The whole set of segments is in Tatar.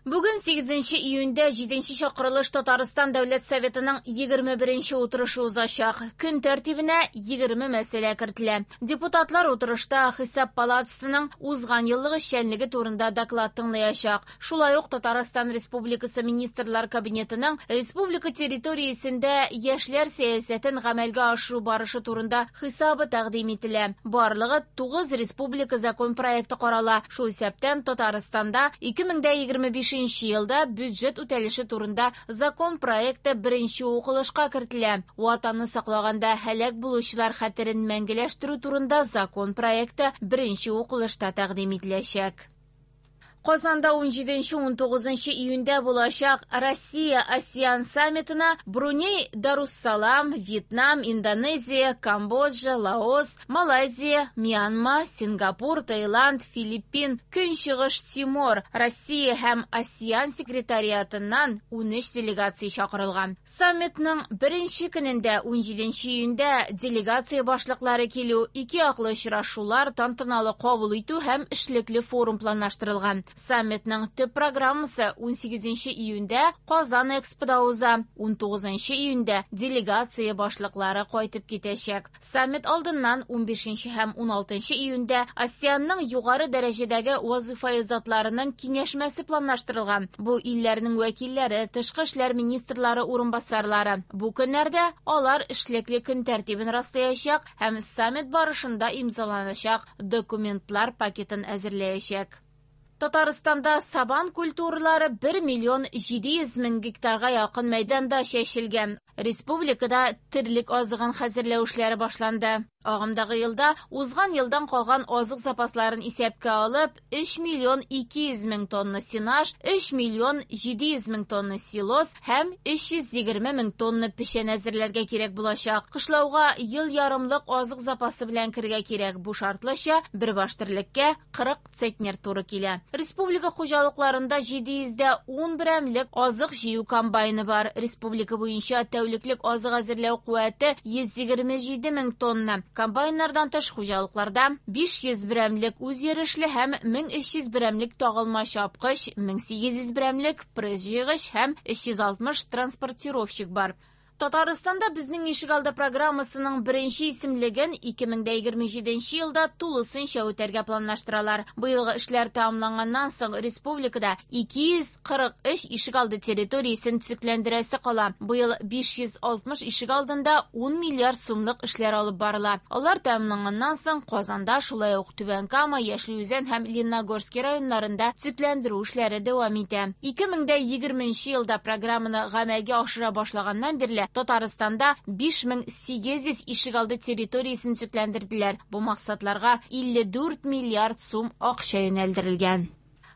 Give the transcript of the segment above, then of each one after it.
Бүген 8 июньдә 7 чакырылыш Татарстан Дәүләт Советының 21 утырышы узачак. Көн тәртибенә 20 мәсьәлә кертелә. Депутатлар утырышта Хисап палатасының узган еллык эшчәнлеге турында доклад тыңлаячак. Шулай ук Татарстан Республикасы Министрлар Кабинетының республика территориясендә яшьләр сәясәтен гамәлгә ашыру барышы турында хисабы тәкъдим ителә. Барлыгы 9 республика закон проекты карала. Шул исәптән Татарстанда 2025 елда бюджет үтәлеше турында закон проекты беренче укылышка кертелә. Ватанны саклаганда һәлак булучылар хәтерен мәңгеләштерү турында закон проекты беренче укылышта тәкъдим ителәчәк. Казанда 17-19 июньдә булачак Россия-АСЕАН саммитына Бруней Даруссалам, Вьетнам, Индонезия, Камбоджа, Лаос, Малайзия, Мьянма, Сингапур, Таиланд, Филиппин, Көнчыгыш Тимор, Россия һәм АСЕАН секретариатыннан 13 делегация чакырылган. Саммитның беренче көнендә 17 июньдә делегация башлыклары килү, ике яклы очрашулар, тантаналы кабул итү һәм эшлекле форум планлаштырылган. Саммитның төп программасы 18 июньдә Казан Экспода уза. 19 июньдә делегация башлыклары кайтып китәчәк. Саммит алдыннан 15 һәм 16 июньдә АСЕАНның югары дәрәҗәдәге вазифаи затларының киңәшмәсе планлаштырылган. Бу илләрнең вәкилләре, тышкы эшләр министрлары урынбасарлары. Бу көннәрдә алар эшлекле көн тәртибен раслаячак һәм саммит барышында имзаланачак документлар пакетын әзерләячәк. Татарстанда сабан культуралары 1 миллион 700 мең гектарга якын мәйданда чәчелгән. Республикада терлек азыгын хәзерләү эшләре башланды. Агымдагы елда узган елдан калган азык запасларын исәпкә алып, 3 миллион 200 мең тонна сенаж, 3 миллион 700 мең тонна силос һәм 320 мең тонна печән әзерләргә кирәк булачак. Кышлауга ел ярымлык азык запасы белән керергә кирәк. Бу шартлыча бер баш терлеккә 40 центнер туры килә. Республика хуҗалыкларында 710 берәмлек азык җыю комбайны бар. Республика буенча тәүлеклек азык әзерләү куәте 127 мең тонна. Комбайннардан тыш хуҗалыкларда 500 берәмлек үзйөрешле һәм 1300 берәмлек тагылма чапкыч, 1800 берәмлек пресс җыйгыч һәм 360 транспортировщик бар. Татарстанда безнең ишегалды программасының беренче исемлеген 2027 елда тулысынча үтәргә планлаштыралар. Быелгы эшләр тәмамланганнан соң республикада 243 ишегалды территориясен төзекләндерәсе кала. Быел 560 ишегалдында 10 миллиард сумлык эшләр алып барыла. Алар тәмамланганнан соң Казанда, шулай ук Түбән Кама, Яшел Үзән һәм Лениногорский районнарында төзекләндерү эшләре дәвам итә. 2020 елда программаны гамәлгә ашыра башлаганнан бирле Татарстанда 5800 ишегалды территориясен төзекләндерделәр. Бу максатларга 54 миллиард сум акча юнәлдерелгән.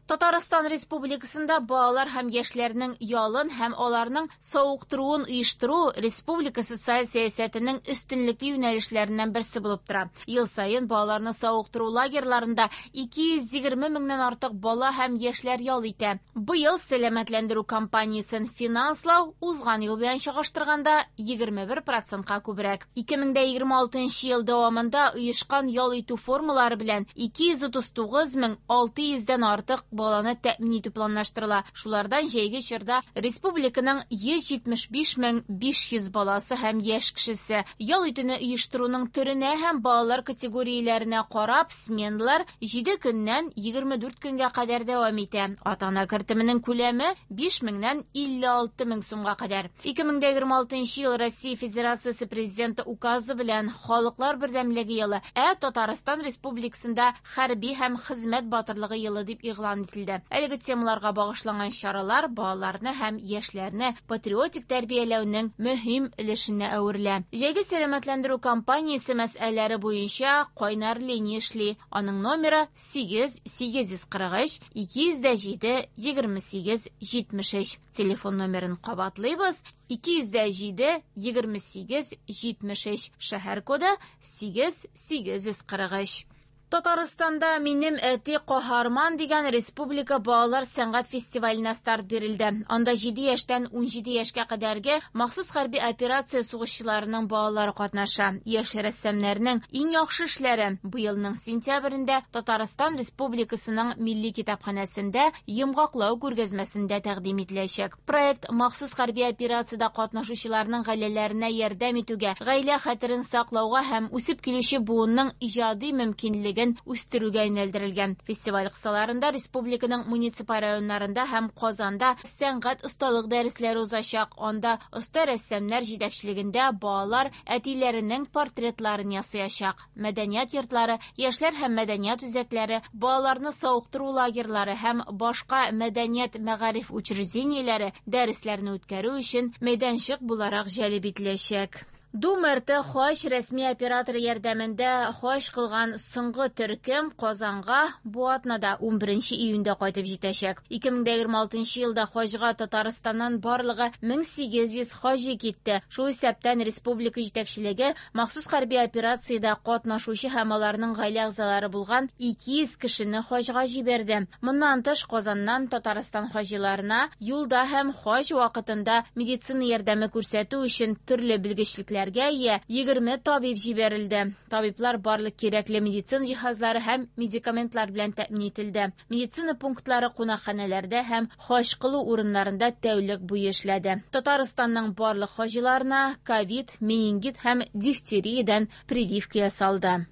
Татарстан Республикасында балалар һәм яшьләрнең ялын һәм аларның савыктыруын оештыру республика социаль сәясәтенең өстенлекле юнәлешләреннән берсе булып тора. Ел саен балаларны савыктыру лагерьларында 220 меңнән артык бала һәм яшьләр ял итә. Быел сәламәтләндерү кампаниясен финанслау узган ел белән чагыштырганда 21%-ка күбрәк. 2026 ел дәвамында оешкан ял итү формалары белән 239 мең 600-дән артык баланы тәэмин итү планлаштырыла. Шулардан җәйге чорда республиканың 175 мең 500 баласы һәм яшь кешесе. Ял итүне оештыруның төренә һәм балалар категорияләренә карап, сменалар 7 көннән 24 көнгә кадәр дәвам итә. Ата-ана кертеменең күләме 5 меңнән 56 мең сумга кадәр. 2026 ел Россия Федерациясе Президенты указы белән Халыклар бердәмлеге елы, ә Татарстан Республикасында хәрби һәм хезмәт батырлыгы елы дип игълан ителде. Әлеге темаларга багышланган чаралар балаларны һәм яшьләрне патриотик тәрбияләүнең мөһим өлешенә әверелә. Җәйге сәламәтләндерү кампаниясе мәсьәләләре буенча кайнар линия эшли. Аның номеры 8 843 207 28 73. Телефон номерын кабатлыйбыз: 207 28 73. Шәһәр коды 8 843. Татарстанда «Минем әти каһарман» дигән республика балалар сәнгать фестиваленә старт бирелде. Анда 7 яшьтән 17 яшькә кадәрге махсус хәрби операция сугышчыларының балалары катнаша. Яшь рәссамнарның иң яхшы эшләре быелның сентябрендә Татарстан Республикасының Милли китапханәсендә йомгаклау күргәзмәсендә тәкъдим ителәчәк. Проект махсус хәрби операциядә катнашучыларның гаиләләренә ярдәм итүгә, гаилә хәтерен саклауга һәм үсеп килүче буынның иҗади мөмкинлеген үстерүгә юнәлдерелгән. Фестиваль кысаларында республиканың муниципаль районнарында һәм Казанда сәнгать осталык дәресләре узачак. Анда оста рәссамнар җитәкчелегендә балалар әтиләренең портретларын ясаячак. Мәдәният йортлары, яшьләр һәм мәдәният үзәкләре, балаларны савыктыру лагерьлары һәм башка мәдәният мәгариф учреждениеләре дәресләрне үткәрү өчен мәйданчык буларак җәлеп ителәчәк. Дум-РТ хаҗ рәсми операторы ярдәмендә хаҗ кылган соңгы төркем Казанга бу атнада 11 июньдә кайтып җитәчәк. 2026 елда хаҗга Татарстаннан барлыгы 1800 хаҗи китте. Шул исәптән республика җитәкчелеге махсус хәрби операциядә катнашучы һәм аларның гаилә әгъзалары булган 200 кешене хаҗга җибәрде. Моннан тыш Казаннан Татарстан хаҗиларына юлда һәм хаҗ вакытында медицина ярдәме күрсәтү өчен төрле белгечлекләргә ия 20 табиб җибәрелде. Табиблар барлык кирәкле медицина җиһазлары һәм медикаментлар белән тәэмин ителде. Медицина пунктлары кунакханәләрдә һәм хаҗ кылу урыннарында тәүлек буе эшләде. Татарстанның барлык хаҗиларына ковид, менингит һәм дифтериядән прививка ясалды.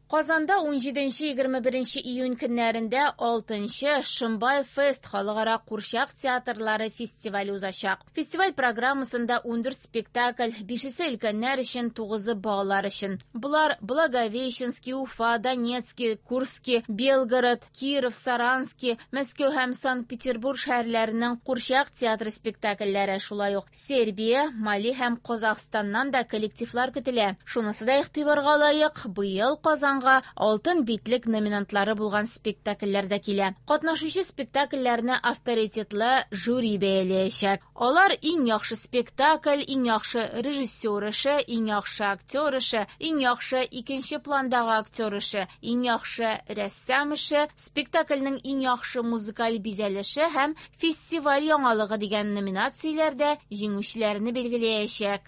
Казанда 17-21 июнь көннәрендә 6-нчы Шымбай фест халыкара курчак театрлары фестивале узачак. Фестиваль программасында 14 спектакль, 5-се өлкәннәр өчен, 9-ы балалар өчен. Болар Благовещенский, Уфа, Донецкий, Курский, Белгород, Киров, Саранский, Мәскәү һәм Санкт-Петербург шәһәрләренең курчак театры спектакльләре, шулай ук Сербия, Мали һәм Казахстаннан да коллективлар көтелә. Шунысы да игътибарга лаек, быел Казанга Алтын битлек номинантлары булган спектакльләр дә килә. Катнашучы спектакльләрне авторитетлы жюри бәяләячәк. Алар иң яхшы спектакль, иң яхшы режиссер эше, иң яхшы актер эше, иң яхшы икенче пландагы актер эше, иң яхшы рәссам эше, спектакльнең иң яхшы музыкаль бизәлеше һәм фестиваль яңалыгы дигән номинацияләрдә җиңүчеләрне билгеләячәк.